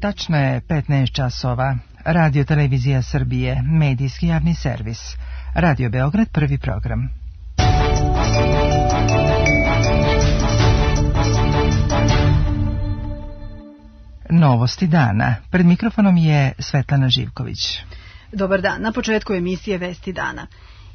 Tačno je 15 časova. Radio Televizija Srbije, medijski javni servis. Radio Beograd, prvi program. Novosti dana. Pred mikrofonom je Svetlana Živković. Dobar dan. Na početku emisije Vesti dana.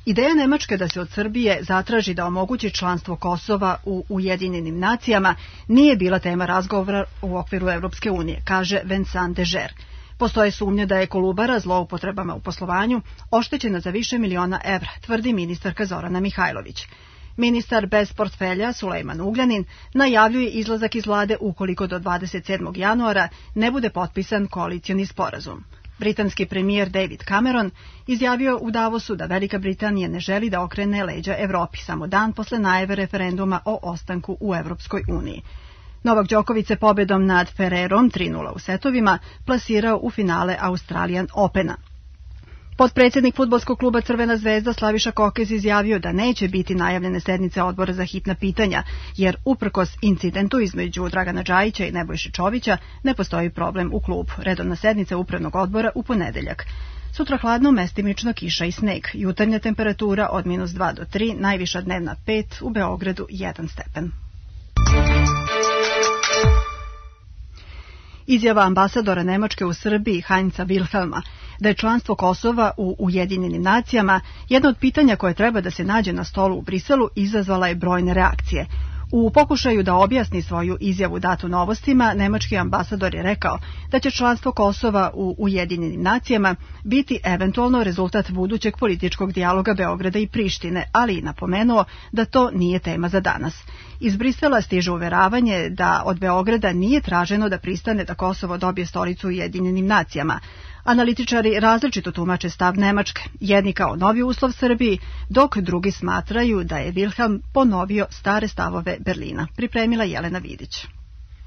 Ideja Nemačke da se od Srbije zatraži da omogući članstvo Kosova u Ujedinjenim nacijama nije bila tema razgovora u okviru Evropske unije, kaže Vincent de Geer. Postoje sumnje da je Kolubara zloupotrebama u poslovanju oštećena za više miliona evra, tvrdi ministarka Zorana Mihajlović. Ministar bez portfelja Sulejman Ugljanin najavljuje izlazak iz vlade ukoliko do 27. januara ne bude potpisan koalicioni sporazum. Britanski premijer David Cameron izjavio u Davosu da Velika Britanija ne želi da okrene leđa Evropi samo dan posle najave referenduma o ostanku u Evropskoj uniji. Novak Đoković se pobedom nad Ferrerom 3:0 u setovima plasirao u finale Australian Opena. Potpredsjednik fudbalskog kluba Crvena zvezda Slaviša Kokez izjavio da neće biti najavljene sednice odbora za hitna pitanja, jer uprkos incidentu između Dragana Džajića i Nebojše Čovića ne postoji problem u klubu. Redovna sednica upravnog odbora u ponedeljak. Sutra hladno, mestimično kiša i sneg. Jutarnja temperatura od -2 do 3, najviša dnevna 5, u Beogradu 1 stepen. Izjava ambasadora Nemačke u Srbiji Heinza Wilhelma da je članstvo Kosova u Ujedinjenim nacijama jedno od pitanja koje treba da se nađe na stolu u Briselu izazvala je brojne reakcije. U pokušaju da objasni svoju izjavu datu Novostima, nemački ambasador je rekao da će članstvo Kosova u Ujedinjenim nacijama biti eventualno rezultat budućeg političkog dijaloga Beograda i Prištine, ali i napomenuo da to nije tema za danas. Iz Brisela stiže uveravanje da od Beograda nije traženo da pristane da Kosovo dobije stolicu u Ujedinjenim nacijama. Analitičari različito tumače stav Nemačke, jedni kao novi uslov Srbiji, dok drugi smatraju da je Wilhelm ponovio stare stavove Berlina. Pripremila Jelena Vidić.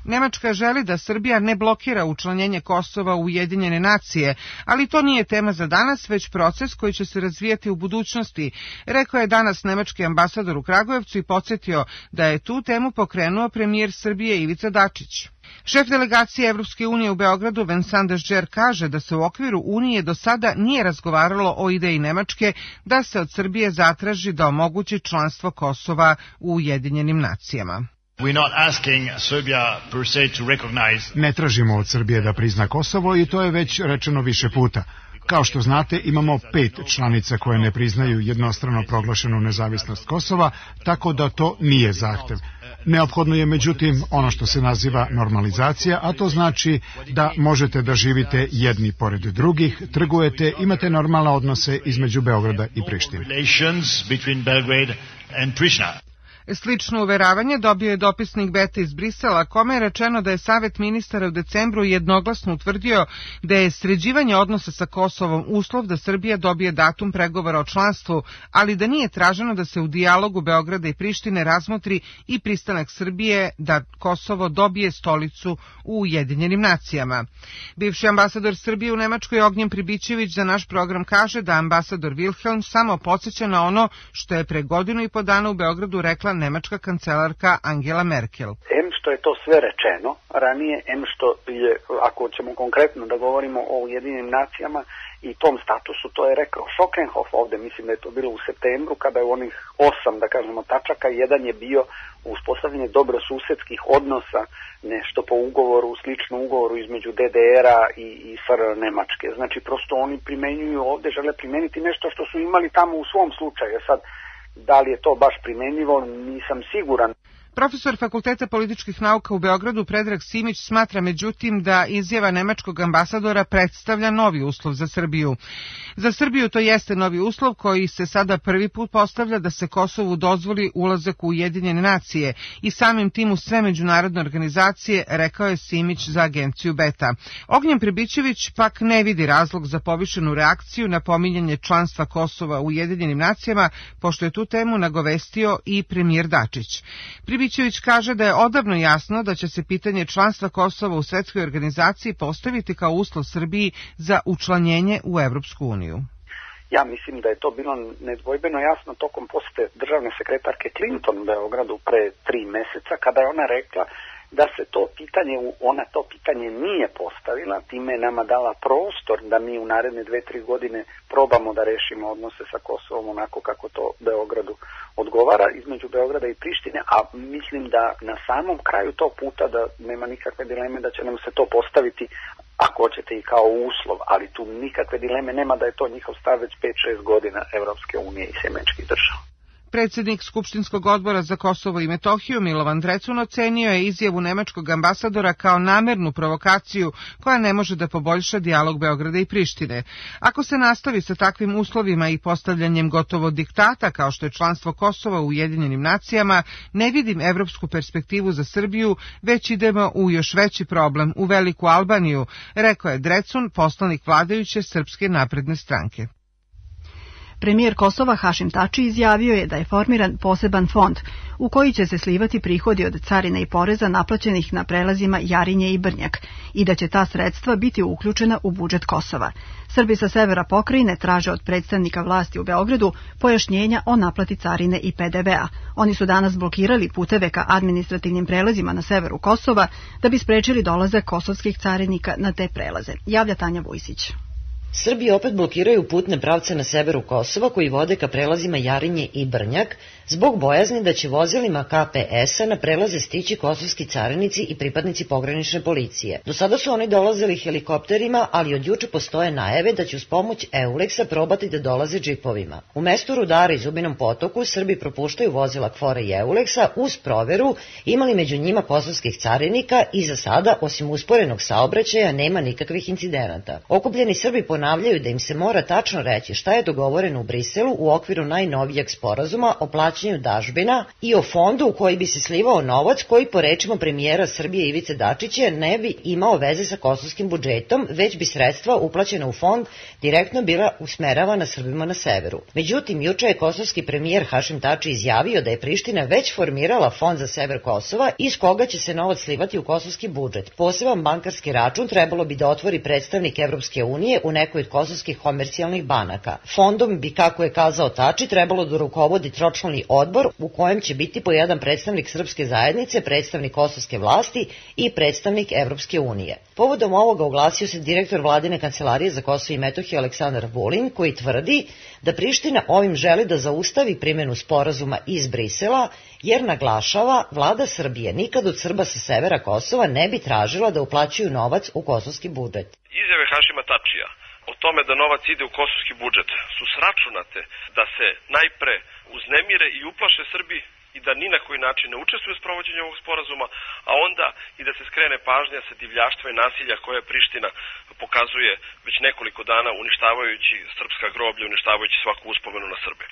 Nemačka želi da Srbija ne blokira učlanjenje Kosova u Ujedinjene nacije, ali to nije tema za danas, već proces koji će se razvijati u budućnosti, rekao je danas nemački ambasador u Kragujevcu i podsjetio da je tu temu pokrenuo premijer Srbije Ivica Dačić. Šef delegacije Evropske unije u Beogradu Vincent de Geer kaže da se u okviru Unije do sada nije razgovaralo o ideji Nemačke da se od Srbije zatraži da omogući članstvo Kosova u Ujedinjenim nacijama. Ne tražimo od Srbije da prizna Kosovo i to je već rečeno više puta. Kao što znate, imamo 5 članica koje ne priznaju jednostrano proglašenu nezavisnost Kosova, tako da to nije zahtev. Neophodno je međutim ono što se naziva normalizacija, a to znači da možete da živite jedni pored drugih, trgujete, imate normalne odnose između Beograda i Prištine. Slično uveravanje dobio je dopisnik Beta iz Brisela, kome je rečeno da je Savet ministara u decembru jednoglasno utvrdio da je sređivanje odnosa sa Kosovom uslov da Srbija dobije datum pregovora o članstvu, ali da nije traženo da se u dijalogu Beograda i Prištine razmotri i pristanak Srbije da Kosovo dobije stolicu u Ujedinjenim nacijama. Bivši ambasador Srbije u Nemačkoj Ognjen Pribićević za naš program kaže da ambasador Wilhelm samo podsjeća na ono što je pre 1,5 godina u Beogradu rekla nemačka kancelarka Angela Merkel. Em što je to sve rečeno ranije, em što je, ako ćemo konkretno da govorimo o Ujedinjenim nacijama i tom statusu, to je rekao Schockenhof ovde, mislim da je to bilo u septembru, kada je u onih 8, da kažemo, tačaka, jedan je bio uspostavljanje dobrosusedskih odnosa, nešto po ugovoru, slično ugovoru između DDR-a i SR Nemačke. Znači, prosto oni primenjuju ovde, žele primeniti nešto što su imali tamo u svom slučaju. Sad, da li je to baš primenjivo, nisam siguran. Profesor Fakulteta političkih nauka u Beogradu Predrag Simić smatra međutim da izjava nemačkog ambasadora predstavlja novi uslov za Srbiju. Za Srbiju to jeste novi uslov koji se sada prvi put postavlja da se Kosovu dozvoli ulazak u Ujedinjene nacije i samim tim u sve međunarodne organizacije, rekao je Simić za agenciju Beta. Ognjen Pribićević pak ne vidi razlog za povišenu reakciju na pominjanje članstva Kosova u Ujedinjenim nacijama, pošto je tu temu nagovestio i premijer Dačić. Pribićević kaže da je odavno jasno da će se pitanje članstva Kosova u svetskoj organizaciji postaviti kao uslov Srbiji za učlanjenje u Evropsku uniju. Ja mislim da je to bilo nedvojbeno jasno tokom posete državne sekretarke Clinton u Beogradu pre 3 meseca, kada je ona rekla da se to pitanje, ona to pitanje nije postavila, time je nama dala prostor da mi u naredne 2-3 godine probamo da rešimo odnose sa Kosovom onako kako to Beogradu odgovara, između Beograda i Prištine, a mislim da na samom kraju tog puta da nema nikakve dileme da će nam se to postaviti, ako hoćete, i kao uslov, ali tu nikakve dileme nema da je to njihov stav već 5-6 godina Evropske unije i sjemeničkih država. Predsjednik Skupštinskog odbora za Kosovo i Metohiju Milovan Drecun ocenio je izjavu nemačkog ambasadora kao namernu provokaciju koja ne može da poboljša dijalog Beograda i Prištine. Ako se nastavi sa takvim uslovima i postavljanjem gotovo diktata kao što je članstvo Kosova u Ujedinjenim nacijama, ne vidim evropsku perspektivu za Srbiju, već idemo u još veći problem, u Veliku Albaniju, rekao je Drecun, poslanik vladajuće Srpske napredne stranke. Premijer Kosova Hašim Tači izjavio je da je formiran poseban fond u koji će se slivati prihodi od carine i poreza naplaćenih na prelazima Jarinje i Brnjak i da će ta sredstva biti uključena u budžet Kosova. Srbi sa severa pokrajine traže od predstavnika vlasti u Beogradu pojašnjenja o naplati carine i PDV-a. Oni su danas blokirali puteve ka administrativnim prelazima na severu Kosova da bi sprečili dolazak kosovskih carinika na te prelaze. Javlja Tanja Vujsić. Srbi opet blokiraju putne pravce na severu Kosova koji vode ka prelazima Jarinje i Brnjak zbog bojazni da će vozilima KPS-a na prelaze stići kosovski carinici i pripadnici pogranične policije. Do sada su oni dolazili helikopterima, ali od juče postoje najave da će uz pomoć Euleksa probati da dolaze džipovima. U mestu Rudara i Zubinom Potoku Srbi propuštaju vozila KFOR-a i Euleksa uz proveru, imali među njima kosovskih carinika i za sada, osim usporenog saobraćaja, nema nikakvih incidenata. Okupljeni Srbi ponavljaju da im se mora tačno reći šta je dogovoreno u Briselu u okviru najnovijeg sporazuma o plaćanju dažbina i o fondu u koji bi se slivao novac koji, po rečima premijera Srbije Ivice Dačića, ne bi imao veze sa kosovskim budžetom, već bi sredstva uplaćena u fond direktno bila usmeravana Srbima na severu. Međutim, juče je kosovski premijer Hašim Tači izjavio da je Priština već formirala fond za sever Kosova iz koga će se novac slivati u kosovski budžet. Poseban bankarski račun trebalo bi da otvori predstavnik Evropske unije u nekoj od kosovskih komercijalnih banaka. Fondom bi, kako je kazao Tači, trebalo da rukovodi tročlani odbor u kojem će biti po jedan predstavnik srpske zajednice, predstavnik kosovske vlasti i predstavnik Evropske unije. Povodom ovoga oglasio se direktor vladine kancelarije za Kosovo i Metohiju Aleksandar Vulin, koji tvrdi da Priština ovim želi da zaustavi primjenu sporazuma iz Brisela, jer naglašava, vlada Srbije nikad od Srba sa severa Kosova ne bi tražila da uplaćuju novac u kosovski budžet. Izjave Hašima Tačija o tome da novac ide u kosovski budžet su sračunate da se najpre uznemire i uplaše Srbi i da ni na koji način ne učestvuju u sprovođenju ovog sporazuma, a onda i da se skrene pažnja sa divljaštva i nasilja koje Priština pokazuje već nekoliko dana, uništavajući srpska groblja, uništavajući svaku uspomenu na Srbe.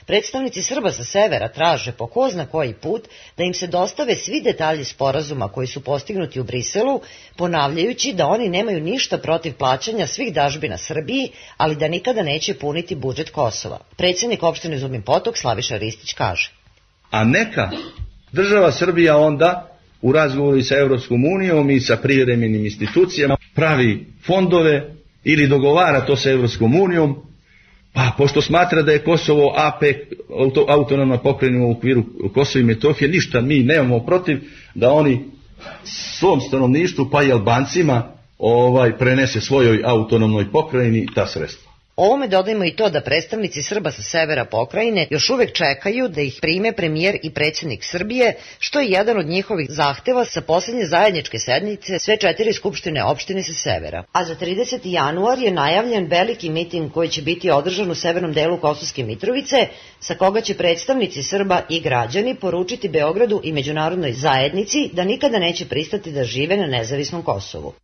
Predstavnici Srba sa severa traže po ko zna koji put da im se dostave svi detalji sporazuma koji su postignuti u Briselu, ponavljajući da oni nemaju ništa protiv plaćanja svih dažbina Srbiji, ali da nikada neće puniti budžet Kosova. Predsjednik opštine Zubin Potok Slaviša Ristić kaže: a neka država Srbija onda u razgovoru sa Evropskom unijom i sa privremenim institucijama pravi fondove ili dogovara to sa Evropskom unijom, pa pošto smatra da je Kosovo AP, autonomna pokrajina u okviru Kosova i Metohije, ništa mi nemamo protiv da oni svom stanovništvu pa i Albancima prenese svojoj autonomnoj pokrajini ta sredstva. Ovome dodajmo i to da predstavnici Srba sa severa pokrajine još uvek čekaju da ih prime premijer i predsjednik Srbije, što je jedan od njihovih zahteva sa posljednje zajedničke sednice sve 4 skupštine opštine sa severa. A za 30. januar je najavljen veliki miting koji će biti održan u severnom delu Kosovske Mitrovice, sa koga će predstavnici Srba i građani poručiti Beogradu i međunarodnoj zajednici da nikada neće pristati da žive na nezavisnom Kosovu.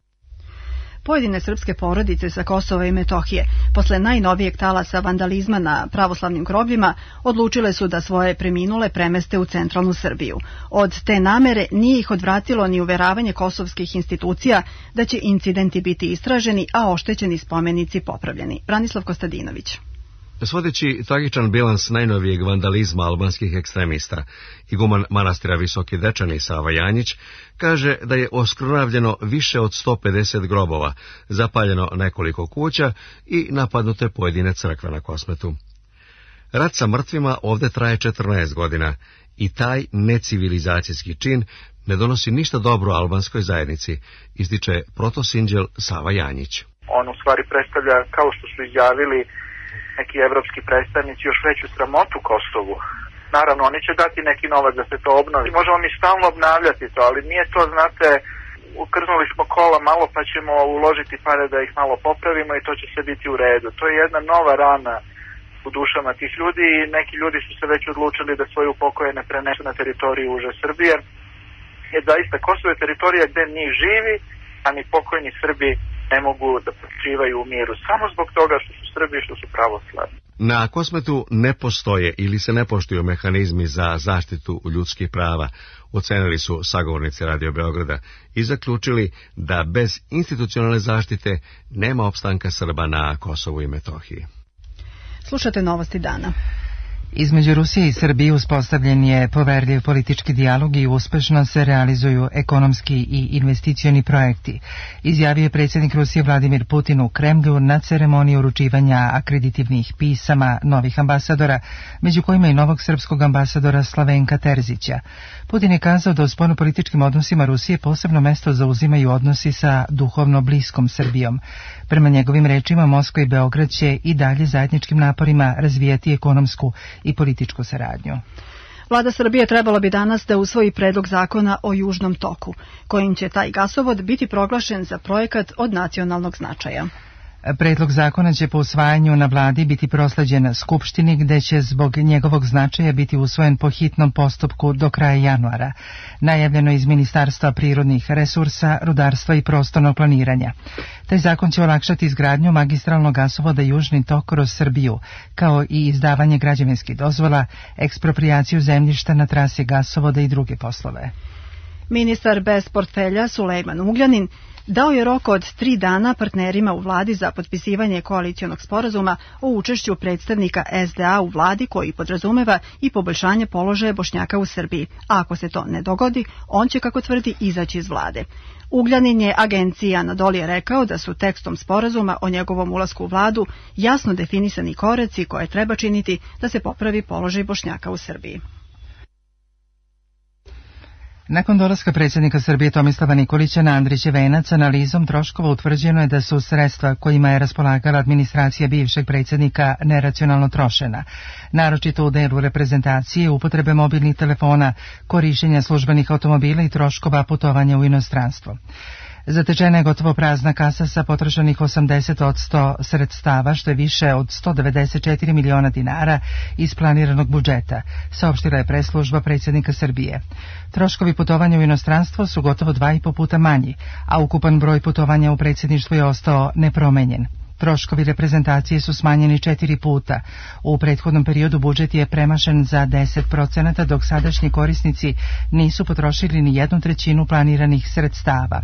Pojedine srpske porodice sa Kosova i Metohije, posle najnovijeg talasa vandalizma na pravoslavnim grobljima, odlučile su da svoje preminule premeste u centralnu Srbiju. Od te namere nije ih odvratilo ni uveravanje kosovskih institucija da će incidenti biti istraženi, a oštećeni spomenici popravljeni. Branislav Kostadinović. Svodeći tragičan bilans najnovijeg vandalizma albanskih ekstremista, iguman manastira Visoki Dečani Sava Janjić kaže da je oskrnavljeno više od 150 grobova, zapaljeno nekoliko kuća i napadnute pojedine crkve na Kosmetu. Rat sa mrtvima ovde traje 14 godina i taj necivilizacijski čin ne donosi ništa dobro albanskoj zajednici, ističe protosinđel Sava Janjić. On u stvari predstavlja, kao što su izjavili neki evropski predstavnici, još veću sramotu Kosovu. Naravno, oni će dati neki novac da se to obnovi. Možemo mi stalno obnavljati to, ali nije to, znate, ukrznuli smo kola malo pa ćemo uložiti pare da ih malo popravimo i to će sve biti u redu. To je jedna nova rana u dušama tih ljudi i neki ljudi su se već odlučili da svoje upokojene prenesu na teritoriju uže Srbije. Jer zaista Kosovo je teritorija gde ni živi, a ni pokojni Srbi ne mogu da počivaju u miru. Samo zbog toga što su Srbi i što su pravoslavni. Na Kosmetu ne postoje ili se ne poštuju mehanizmi za zaštitu ljudskih prava, ocenili su sagovornici Radio Beograda i zaključili da bez institucionalne zaštite nema opstanka Srba na Kosovu i Metohiji. Slušate novosti dana. Između Rusije i Srbije uspostavljen je poverljiv politički dijalog i uspešno se realizuju ekonomski i investicioni projekti, izjavio je predsjednik Rusije Vladimir Putin u Kremlju na ceremoniji uručivanja akreditivnih pisama novih ambasadora, među kojima i novog srpskog ambasadora Slavenka Terzića. Putin je kazao da u spoljnopolitičkim odnosima Rusije posebno mesto zauzimaju odnosi sa duhovno bliskom Srbijom. Prema njegovim rečima, Moskva i Beograd će i dalje zajedničkim naporima razvijati ekonomsku i političku saradnju. Vlada Srbije trebala bi danas da usvoji predlog zakona o Južnom toku, kojim će taj gasovod biti proglašen za projekat od nacionalnog značaja. Predlog zakona će po usvajanju na vladi biti prosleđen Skupštini, gde će zbog njegovog značaja biti usvojen po hitnom postupku do kraja januara. Najavljeno iz Ministarstva prirodnih resursa, rudarstva i prostornog planiranja. Taj zakon će olakšati izgradnju magistralnog gasovoda Južni tok kroz Srbiju, kao i izdavanje građevinskih dozvola, eksproprijaciju zemljišta na trasi gasovoda i druge poslove. Ministar bez portfelja Sulejman Ugljanin dao je rok od 3 dana partnerima u vladi za potpisivanje koalicionog sporazuma o učešću predstavnika SDA u vladi koji podrazumeva i poboljšanje položaja Bošnjaka u Srbiji. A ako se to ne dogodi, on će, kako tvrdi, izaći iz vlade. Ugljanin je agenciji Anadolije rekao da su tekstom sporazuma o njegovom ulasku u vladu jasno definisani koraci koje treba činiti da se popravi položaj Bošnjaka u Srbiji. Nakon dolaska predsjednika Srbije Tomislava Nikolića na Andrićev venac, analizom troškova utvrđeno je da su sredstva kojima je raspolagala administracija bivšeg predsjednika neracionalno trošena, naročito u delu reprezentacije, upotrebe mobilnih telefona, korišćenja službenih automobila i troškova putovanja u inostranstvo. Zatečena je gotovo prazna kasa sa potrošenih 80% sredstava, što je više od 194 miliona dinara iz planiranog budžeta, saopštila je preslužba predsjednika Srbije. Troškovi putovanja u inostranstvo su gotovo 2,5 puta manji, a ukupan broj putovanja u predsjedništvu je ostao nepromenjen. Troškovi reprezentacije su smanjeni 4 puta. U prethodnom periodu budžet je premašen za 10%, dok sadašnji korisnici nisu potrošili ni 1/3 planiranih sredstava.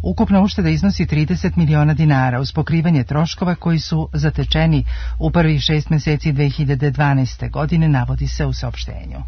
Ukupna ušteda iznosi 30 miliona dinara uz pokrivanje troškova koji su zatečeni u prvih 6 mjeseci 2012. godine, navodi se u saopštenju.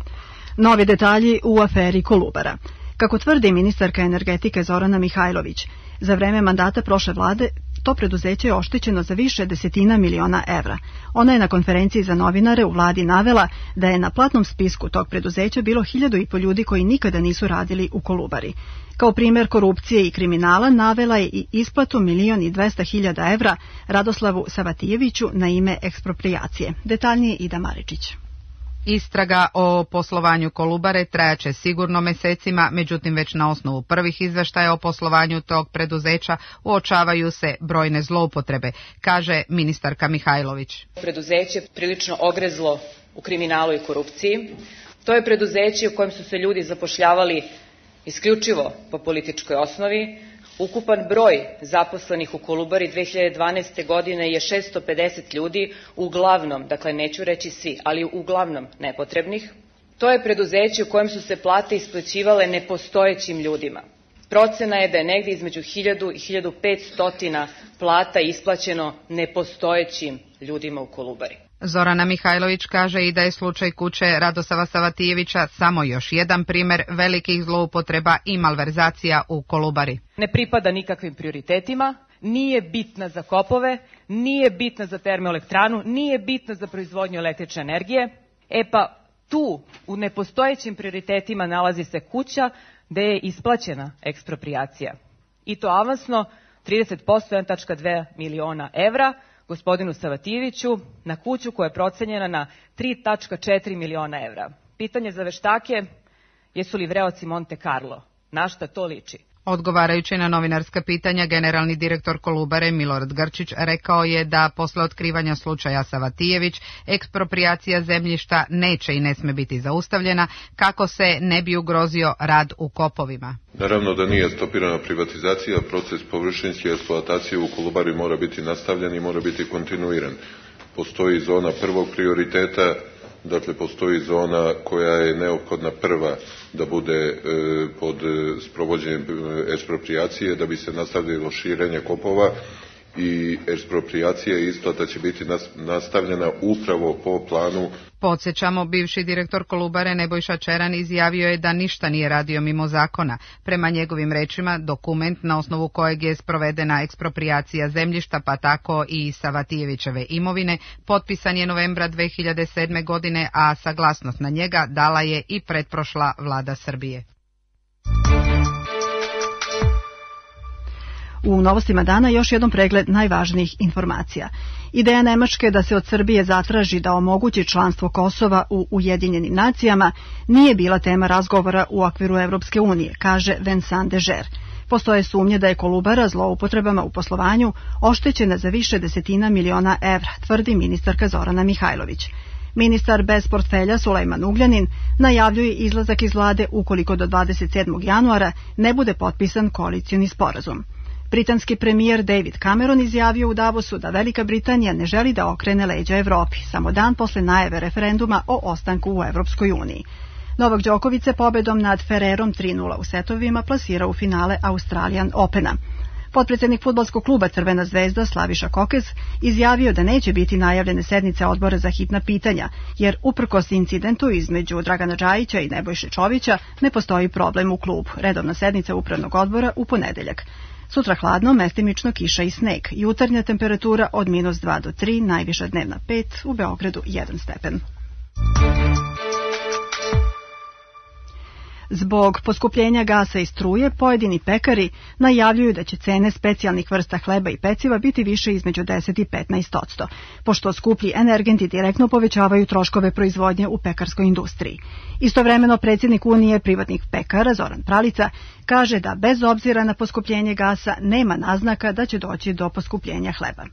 Novi detalji u aferi Kolubara. Kako tvrdi ministarka energetike Zorana Mihajlović, za vreme mandata prošle vlade to preduzeće je oštećeno za više desetina miliona evra. Ona je na konferenciji za novinare u vladi navela da je na platnom spisku tog preduzeća bilo 1.500 ljudi koji nikada nisu radili u Kolubari. Kao primjer korupcije i kriminala navela je i isplatu 1.200.000 evra Radoslavu Savatijeviću na ime eksproprijacije. Detaljnije Ida Maričić. Istraga o poslovanju Kolubare trajaće sigurno mesecima, međutim već na osnovu prvih izveštaja o poslovanju tog preduzeća uočavaju se brojne zloupotrebe, kaže ministarka Mihajlović. Preduzeće prilično ogrezlo u kriminalu i korupciji. To je preduzeće u kojem su se ljudi zapošljavali isključivo po političkoj osnovi. Ukupan broj zaposlenih u Kolubari 2012. godine je 650 ljudi, uglavnom, dakle neću reći svi, ali uglavnom nepotrebnih. To je preduzeće u kojem su se plate isplaćivale nepostojećim ljudima. Procena je da je negdje između 1000 i 1500 plata isplaćeno nepostojećim ljudima u Kolubari. Zorana Mihajlović kaže i da je slučaj kuće Radosava Savatijevića samo još jedan primjer velikih zloupotreba i malverzacija u Kolubari. Ne pripada nikakvim prioritetima, nije bitna za kopove, nije bitna za termoelektranu, nije bitna za proizvodnju električne energije. Pa tu u nepostojećim prioritetima nalazi se kuća gde je isplaćena eksproprijacija. I to avansno 30%, 1,2 miliona evra, gospodinu Savatijeviću na kuću koja je procenjena na 3,4 miliona evra. Pitanje za veštake, jesu li vreoci Monte Carlo? Na šta to liči? Odgovarajući na novinarska pitanja, generalni direktor Kolubare Milorad Grčić rekao je da posle otkrivanja slučaja Savatijević eksproprijacija zemljišta neće i ne sme biti zaustavljena kako se ne bi ugrozio rad u kopovima. Naravno da nije stopirana privatizacija, proces površinske eksploatacije u Kolubari mora biti nastavljen i mora biti kontinuiran. Postoji zona prvog prioriteta, dakle postoji zona koja je neophodna prva da bude pod sprovođenjem eksproprijacije da bi se nastavilo širenje kopova i eksproprijacija i isplata će biti nastavljena upravo po planu. Podsjećamo, bivši direktor Kolubare Nebojša Čeran izjavio je da ništa nije radio mimo zakona. Prema njegovim rečima, dokument na osnovu kojeg je sprovedena eksproprijacija zemljišta, pa tako i Savatijevićeve imovine, potpisan je novembra 2007. godine, a saglasnost na njega dala je i pretprošla vlada Srbije. U novostima dana još jedan pregled najvažnijih informacija. Ideja Nemačke da se od Srbije zatraži da omogući članstvo Kosova u Ujedinjenim nacijama nije bila tema razgovora u okviru Evropske unije, kaže Vincent Deger. Postoje sumnje da je Kolubara zloupotrebama u poslovanju oštećena za više desetina miliona evra, tvrdi ministarka Zorana Mihajlović. Ministar bez portfelja Sulejman Ugljanin najavljuje izlazak iz vlade ukoliko do 27. januara ne bude potpisan koalicioni sporazum. Britanski premijer David Cameron izjavio u Davosu da Velika Britanija ne želi da okrene leđa Evropi, samo dan posle najave referenduma o ostanku u Evropskoj uniji. Novak Đoković se pobedom nad Ferrerom 3:0 u setovima plasirao u finale Australian Opena. Potpredsednik fudbalskog kluba Crvena zvezda Slaviša Kokez izjavio da neće biti najavljene sednice odbora za hitna pitanja, jer uprkos incidentu između Dragana Džajića i Nebojše Čovića ne postoji problem u klubu. Redovna sednica upravnog odbora u ponedeljak. Sutra hladno, mestimično kiša i sneg. Jutarnja temperatura od -2 do 3, najviša dnevna 5, u Beogradu 1 stepen. Zbog poskupljenja gasa i struje, pojedini pekari najavljuju da će cene specijalnih vrsta hleba i peciva biti više između 10 i 15%, pošto skuplji energenti direktno povećavaju troškove proizvodnje u pekarskoj industriji. Istovremeno, predsjednik Unije privatnih pekara Zoran Pralica kaže da bez obzira na poskupljenje gasa nema naznaka da će doći do poskupljenja hleba.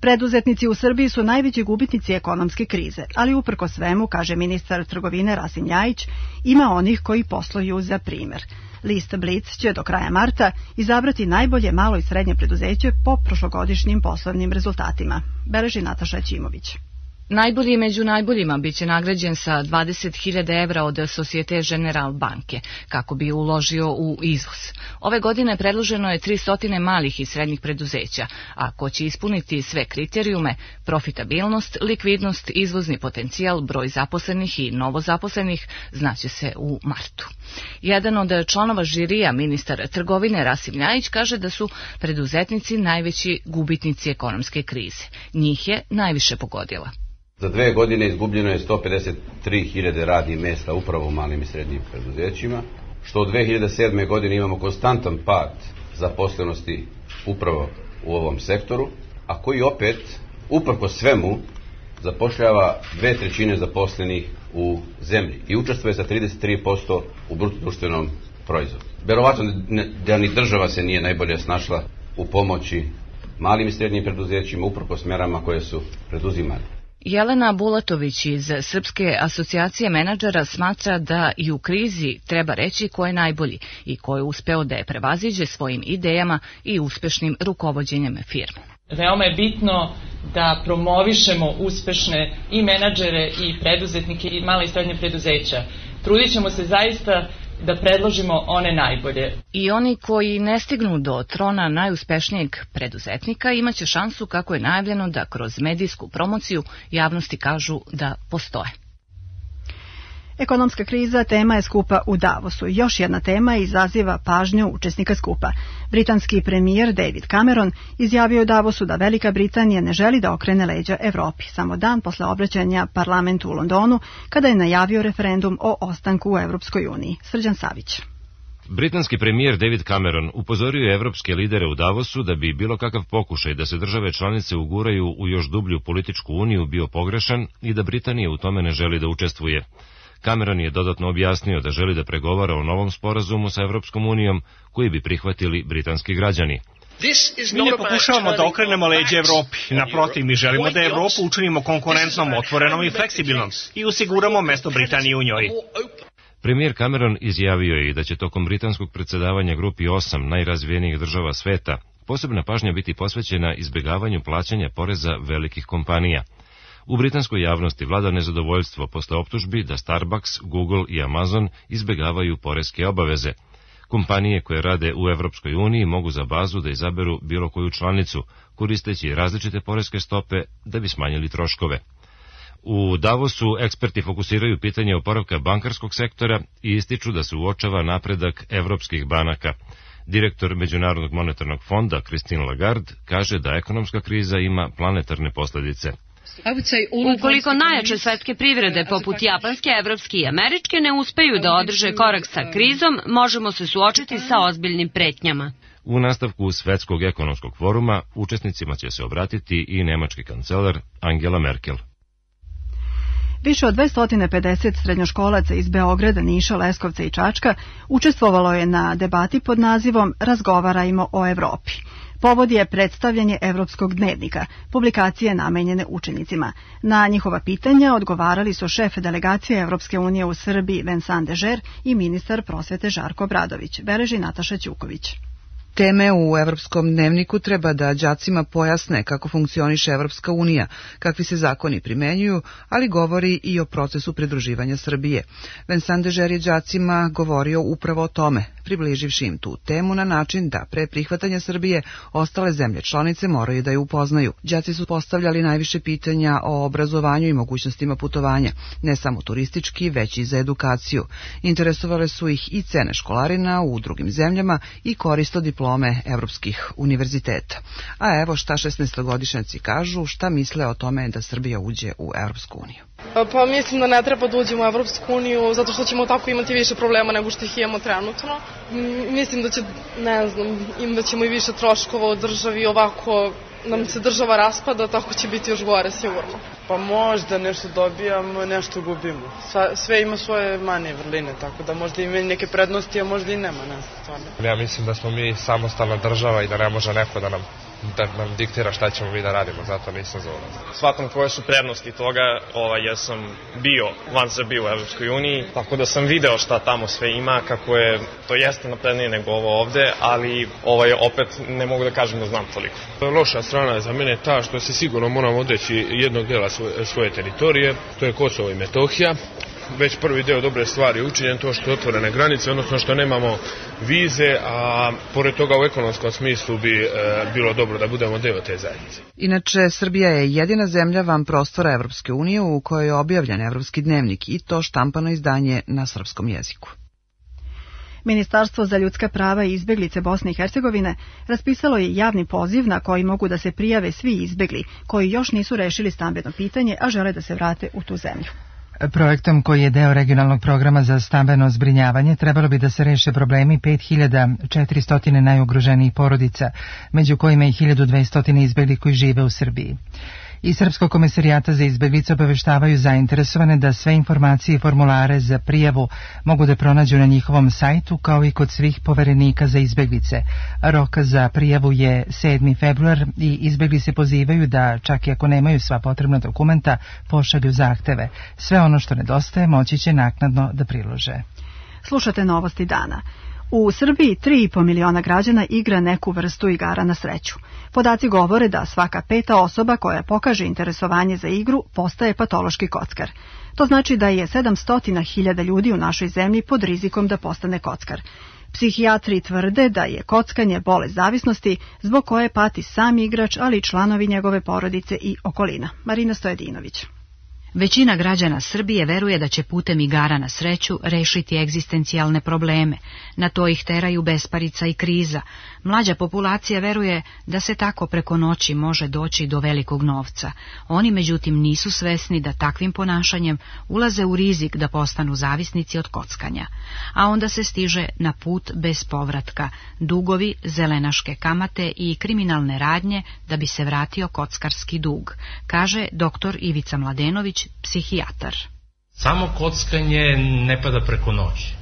Preduzetnici u Srbiji su najveći gubitnici ekonomske krize, ali uprko svemu, kaže ministar trgovine Rasim Ljajić, ima onih koji posluju za primer. List Blic će do kraja marta izabrati najbolje malo i srednje preduzeće po prošlogodišnjim poslovnim rezultatima, beleži Nataša Ćimović. Najbolji među najboljima biće nagrađen sa 20.000 evra od Societe General banke, kako bi uložio u izvoz. Ove godine predloženo je 300 malih i srednjih preduzeća, a ko će ispuniti sve kriterijume, profitabilnost, likvidnost, izvozni potencijal, broj zaposlenih i novozaposlenih, znaće se u martu. Jedan od članova žirija, ministar trgovine Rasim Ljajić, kaže da su preduzetnici najveći gubitnici ekonomske krize. Njih je najviše pogodila. Za 2 godine izgubljeno je 153.000 radnih mjesta upravo u malim i srednjim preduzećima, što od 2007. godine imamo konstantan pad zaposlenosti upravo u ovom sektoru, a koji opet, uprkos svemu, zapošljava 2/3 zaposlenih u zemlji i učestvuje sa 33% u bruto-društvenom proizvodu. Verovatno da ni država se nije najbolje snašla u pomoći malim i srednjim preduzećima uprkos mjerama koje su preduzimane. Jelena Bulatović iz Srpske asocijacije menadžera smatra da i u krizi treba reći ko je najbolji i ko je uspeo da je prevaziđe svojim idejama i uspešnim rukovođenjem firme. Veoma je bitno da promovišemo uspešne i menadžere i preduzetnike i mala i srednje preduzeća. Trudit ćemo se zaista da predložimo one najbolje. I oni koji ne stignu do trona najuspešnijeg preduzetnika imaće šansu, kako je najavljeno, da kroz medijsku promociju javnosti kažu da postoje. Ekonomska kriza tema je skupa u Davosu. Još jedna tema izaziva pažnju učesnika skupa. Britanski premijer David Cameron izjavio u Davosu da Velika Britanija ne želi da okrene leđa Evropi, samo dan posle obraćanja parlamentu u Londonu, kada je najavio referendum o ostanku u Evropskoj uniji. Srđan Savić. Britanski premijer David Cameron upozorio je evropske lidere u Davosu da bi bilo kakav pokušaj da se države članice uguraju u još dublju političku uniju bio pogrešan i da Britanija u tome ne želi da učestvuje. Cameron je dodatno objasnio da želi da pregovara o novom sporazumu sa Evropskom unijom koji bi prihvatili britanski građani. Mi ne pokušavamo da okrenemo leđe Evropi. Naprotiv, mi želimo da Evropu učinimo konkurentnom, otvorenom i fleksibilnom i osiguramo mesto Britanije u njoj. Premijer Cameron izjavio je i da će tokom britanskog predsedavanja grupi 8 najrazvijenijih država sveta posebna pažnja biti posvećena izbjegavanju plaćanja poreza velikih kompanija. U britanskoj javnosti vlada nezadovoljstvo posle optužbi da Starbucks, Google i Amazon izbjegavaju poreske obaveze. Kompanije koje rade u Evropskoj uniji mogu za bazu da izaberu bilo koju članicu, koristeći različite poreske stope da bi smanjili troškove. U Davosu eksperti fokusiraju pitanje oporavka bankarskog sektora i ističu da se uočava napredak evropskih banaka. Direktor Međunarodnog monetarnog fonda Christine Lagarde kaže da ekonomska kriza ima planetarne posljedice. Ukoliko najjače svetske privrede poput japanske, evropske i američke ne uspeju da održe korak sa krizom, možemo se suočiti sa ozbiljnim pretnjama. U nastavku Svetskog ekonomskog foruma učesnicima će se obratiti i nemački kancelar Angela Merkel. Više od 250 srednjoškolaca iz Beograda, Niša, Leskovca i Čačka učestvovalo je na debati pod nazivom Razgovarajmo o Evropi. Povod je predstavljanje Evropskog dnevnika, publikacije namenjene učenicima. Na njihova pitanja odgovarali su šef delegacije Evropske unije u Srbiji Vincent Dežer i ministar prosvete Žarko Obradović, beleži Nataša Ćuković. Teme u Evropskom dnevniku treba da đacima pojasne kako funkcioniše Evropska unija, kakvi se zakoni primenjuju, ali govori i o procesu pridruživanja Srbije. Vincent Dežer je đacima govorio upravo o tome, približivši im tu temu na način da pre prihvatanja Srbije ostale zemlje članice moraju da je upoznaju. Đaci su postavljali najviše pitanja o obrazovanju i mogućnostima putovanja, ne samo turistički, već i za edukaciju. Interesovale su ih i cene školarina u drugim zemljama i korist od diplome evropskih univerziteta. A evo šta 16-godišnjaci kažu, šta misle o tome da Srbija uđe u Evropsku uniju. Pa mislim da ne treba da uđemo u Evropsku uniju zato što ćemo tako imati više problema nego što ih imamo trenutno. Mislim da će, da ćemo i više troškova u državi, ovako nam se država raspada, tako će biti još gore sigurno. Pa možda nešto dobijamo, nešto gubimo. Sve ima svoje mane i vrline, tako da možda ima neke prednosti, a možda i nema. Ja mislim da smo mi samostalna država i da ne može neko da nam diktira šta ćemo mi da radimo, zato nisam za ulaz. Shvatam koje su prednosti toga, ja sam bio van Srbije u Evropskoj uniji, tako da sam video šta tamo sve ima, kako je, to jeste naprednije nego ovo ovde, ali opet ne mogu da kažem da znam toliko. Loša strana je za mene ta što se sigurno moramo odreći jednog dela svoje teritorije, to je Kosovo i Metohija. Već prvi deo dobre stvari učinjen, to što je otvorene granice, odnosno što nemamo vize, a pored toga u ekonomskom smislu bi bilo dobro da budemo deo te zajednice. Inače, Srbija je jedina zemlja van prostora Evropske unije u kojoj je objavljen Evropski dnevnik i to štampano izdanje na srpskom jeziku. Ministarstvo za ljudska prava i izbeglice Bosne i Hercegovine raspisalo je javni poziv na koji mogu da se prijave svi izbegli koji još nisu rešili stambeno pitanje, a žele da se vrate u tu zemlju. Projektom koji je deo regionalnog programa za stambeno zbrinjavanje trebalo bi da se reše problemi 5400 najugroženijih porodica, među kojima i 1200 izbegli koji žive u Srbiji. Iz Srpskog komesarijata za izbeglice obaveštavaju zainteresovane da sve informacije i formulare za prijavu mogu da pronađu na njihovom sajtu kao i kod svih poverenika za izbeglice. Rok za prijavu je 7. februar i izbegli se pozivaju da, čak i ako nemaju sva potrebna dokumenta, pošalju zahteve. Sve ono što nedostaje moći će naknadno da prilože. Slušate novosti dana. U Srbiji 3,5 miliona građana igra neku vrstu igara na sreću. Podaci govore da svaka 5. osoba koja pokaže interesovanje za igru postaje patološki kockar. To znači da je 700.000 ljudi u našoj zemlji pod rizikom da postane kockar. Psihijatri tvrde da je kockanje bolest zavisnosti zbog koje pati sam igrač, ali i članovi njegove porodice i okolina. Marina Stojedinović. Većina građana Srbije veruje da će putem igara na sreću rešiti egzistencijalne probleme. Na to ih teraju besparica i kriza. Mlađa populacija veruje da se tako preko noći može doći do velikog novca. Oni međutim nisu svesni da takvim ponašanjem ulaze u rizik da postanu zavisnici od kockanja. A onda se stiže na put bez povratka, dugovi, zelenaške kamate i kriminalne radnje da bi se vratio kockarski dug, kaže dr. Ivica Mladenović, psihijatar. Samo kockanje ne pada preko noći.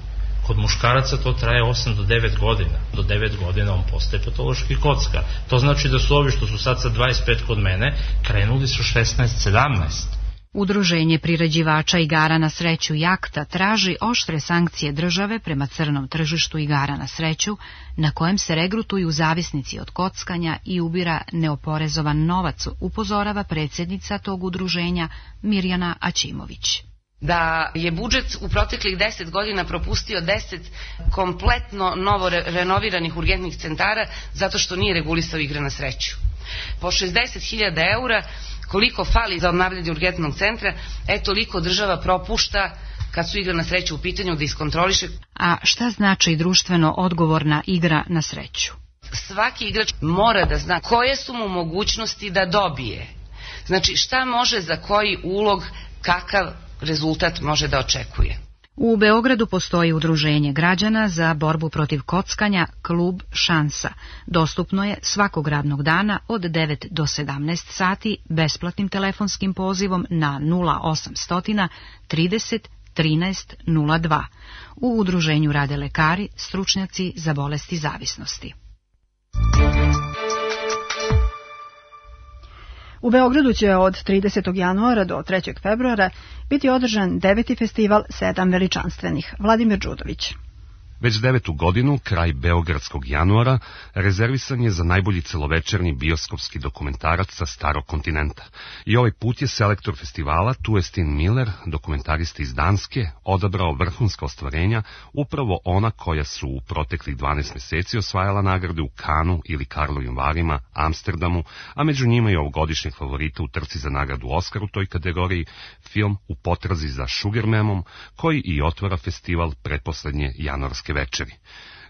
Kod muškaraca to traje 8 do 9 godina. Do 9 godina on postaje patološki kockar. To znači da su ovi što su sad sa 25 kod mene, krenuli su 16-17. Udruženje priređivača igara na sreću Jakta traži oštre sankcije države prema crnom tržištu igara na sreću, na kojem se regrutuju zavisnici od kockanja i ubira neoporezovan novac, upozorava predsjednica tog udruženja Mirjana Aćimović. Da je budžet u proteklih 10 godina propustio 10 kompletno novo renoviranih urgentnih centara zato što nije regulisao igre na sreću. Po 60.000 eura koliko fali za obnavljanje urgentnog centra, toliko država propušta kad su igre na sreću u pitanju da iskontroliše. A šta znači društveno odgovorna igra na sreću? Svaki igrač mora da zna koje su mu mogućnosti da dobije. Znači šta može za koji ulog, kakav rezultat može da očekuje. U Beogradu postoji udruženje građana za borbu protiv kockanja Klub Šansa. Dostupno je svakog radnog dana od 9 do 17 sati besplatnim telefonskim pozivom na 0800 30 13 02. U udruženju rade lekari, stručnjaci za bolesti zavisnosti. U Beogradu će od 30. januara do 3. februara biti održan 9. festival 7 veličanstvenih. Vladimir Đudović. Već 9. godinu, kraj Beogradskog januara, rezervisan je za najbolji celovečernji bioskopski dokumentarac sa starog kontinenta. I ovaj put je selektor festivala Tue Stine Miller, dokumentarista iz Danske, odabrao vrhunska ostvarenja, upravo ona koja su u proteklih 12 meseci osvajala nagrade u Kanu ili Karlovim Varima, Amsterdamu, a među njima i ovogodišnjeg favorita u trci za nagradu Oskar u toj kategoriji, film U potrazi za Sugarmamom, koji i otvara festival pretposlednje januarske večeri.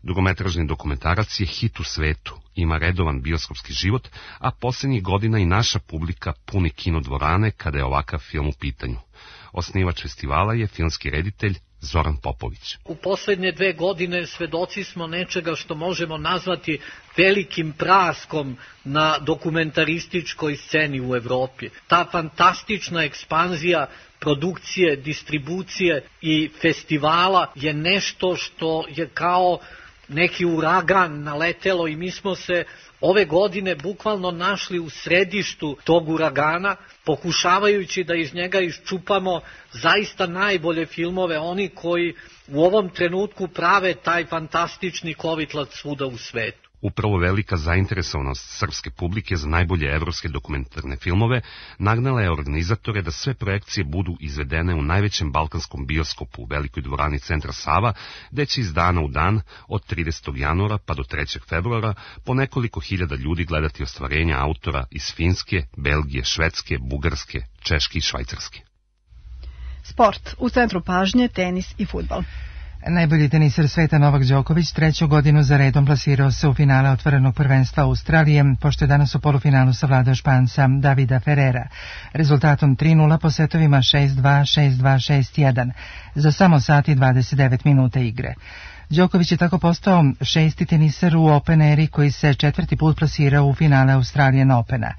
Dugometražni dokumentarac je hit u svetu, ima redovan bioskopski život, a posljednjih godina i naša publika puni kinodvorane kada je ovakav film u pitanju. Osnivač festivala je filmski reditelj Zoran Popović. U posljednje 2 godine svedoci smo nečega što možemo nazvati velikim praskom na dokumentarističkoj sceni u Evropi. Ta fantastična ekspanzija produkcije, distribucije i festivala je nešto što je kao neki uragan naletelo i mi smo se ove godine bukvalno našli u središtu tog uragana, pokušavajući da iz njega iščupamo zaista najbolje filmove, oni koji u ovom trenutku prave taj fantastični kovitlac svuda u svetu. Upravo velika zainteresovanost srpske publike za najbolje evropske dokumentarne filmove nagnala je organizatore da sve projekcije budu izvedene u najvećem balkanskom bioskopu u velikoj dvorani Centra Sava, gde će iz dana u dan, od 30. januara pa do 3. februara, po nekoliko hiljada ljudi gledati ostvarenja autora iz Finske, Belgije, Švedske, Bugarske, Češke i Švajcarske. Sport. U centru pažnje tenis i fudbal. Najbolji teniser sveta Novak Đoković 3. godinu za redom plasirao se u finale otvorenog prvenstva Australije, pošto je danas u polufinalu savladao Španca Davida Ferrera. Rezultatom 3-0 po setovima 6-2, 6-2, 6-1 za samo sat i 29 minuta igre. Đoković je tako postao 6. teniser u Open eri koji se 4. put plasirao u finale Australian Opena.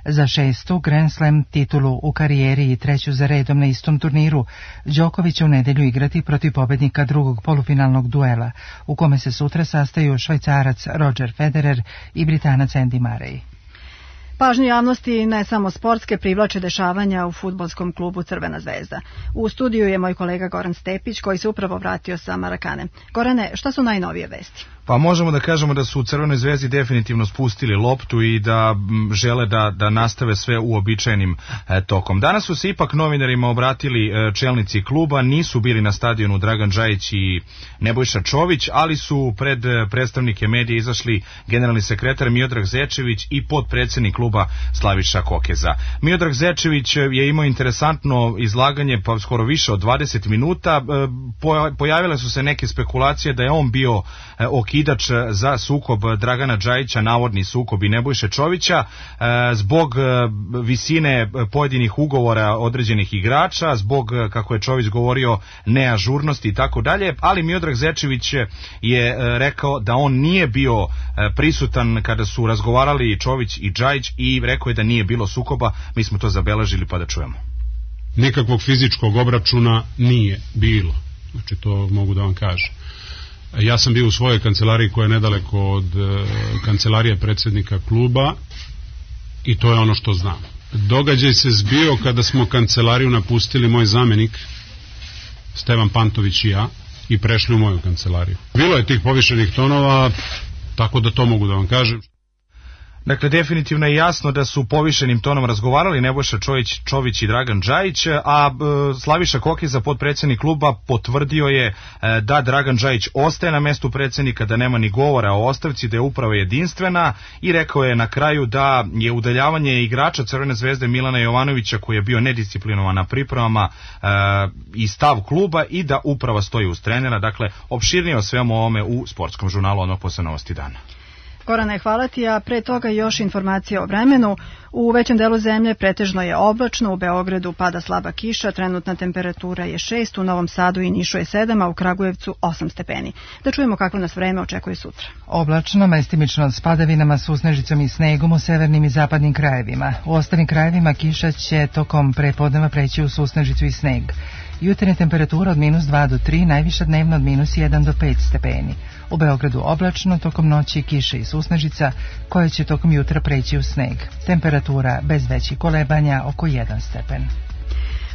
Za 6. Grand Slam titulu u karijeri i 3. za redom na istom turniru, Đoković će u nedelju igrati protiv pobednika drugog polufinalnog duela, u kome se sutra sastaju Švajcarac Roger Federer i Britanac Andy Murray. Pažnju javnosti ne samo sportske privlače dešavanja u fudbalskom klubu Crvena zvezda. U studiju je moj kolega Goran Stepić koji se upravo vratio sa Marakane. Gorane, šta su najnovije vesti? Pa možemo da kažemo da su u Crvenoj zvezdi definitivno spustili loptu i da žele da nastave sve uobičajenim tokom. Danas su se ipak novinarima obratili čelnici kluba, nisu bili na stadionu Dragan Džajić i Nebojša Čović, ali su pred predstavnike medija izašli generalni sekretar Miodrag Zečević i potpredsednik kluba Slaviša Kokeza. Miodrag Zečević je imao interesantno izlaganje, pa skoro više od 20 minuta. Pojavile su se neke spekulacije da je on bio okidač za sukob Dragana Džajića, navodni sukob i Nebojše Čovića, zbog visine pojedinih ugovora određenih igrača, zbog, kako je Čović govorio, neažurnosti i tako dalje, ali Miodrag Zečević je rekao da on nije bio prisutan kada su razgovarali Čović i Džajić i rekao je da nije bilo sukoba. Mi smo to zabeležili, pa da čujemo. Nikakvog fizičkog obračuna nije bilo, znači to mogu da vam kažem. Ja sam bio u svojoj kancelariji koja je nedaleko od kancelarije predsjednika kluba i to je ono što znam. Događaj se zbio kada smo kancelariju napustili moj zamenik Stevan Pantović i ja i prešli u moju kancelariju. Bilo je tih povišenih tonova, tako da to mogu da vam kažem. Dakle, definitivno je jasno da su povišenim tonom razgovarali Nebojša Čović i Dragan Džajić, a Slaviša Kokeza, potpredsjednik kluba, potvrdio je da Dragan Džajić ostaje na mestu predsjednika, da nema ni govora o ostavci, da je uprava jedinstvena i rekao je na kraju da je udaljavanje igrača Crvene zvezde Milana Jovanovića, koji je bio nedisciplinovan na pripremama, i stav kluba i da uprava stoji uz trenera. Dakle, opširnije o svemu ovome u Sportskom žurnalu odmah posle Novosti dana. Gorane, hvala ti, a pre toga još informacije o vremenu. U većem delu zemlje pretežno je oblačno, u Beogradu pada slaba kiša, trenutna temperatura je 6, u Novom Sadu i Nišu je 7, a u Kragujevcu 8 stepeni. Da čujemo kako nas vreme očekuje sutra. Oblačno, mestimično s padavinama, susnežicom i snegom u severnim i zapadnim krajevima. U ostalim krajevima kiša će tokom prepodneva preći u susnežicu i sneg. Jutarnja temperatura od -2 do 3, najviša dnevno od -1 do 5 stepeni. U Beogradu oblačno, tokom noći kiša i susnežica, koja će tokom jutra preći u sneg. Temperatura bez većih kolebanja oko 1 stepen.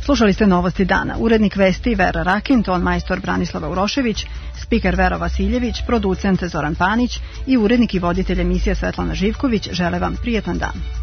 Slušali ste Novosti dana. Urednik vesti Vera Rakin, ton majstor Branislava Urošević, spiker Vero Vasiljević, producent Zoran Panić i urednik i voditelj emisije Svetlana Živković žele vam prijetan dan.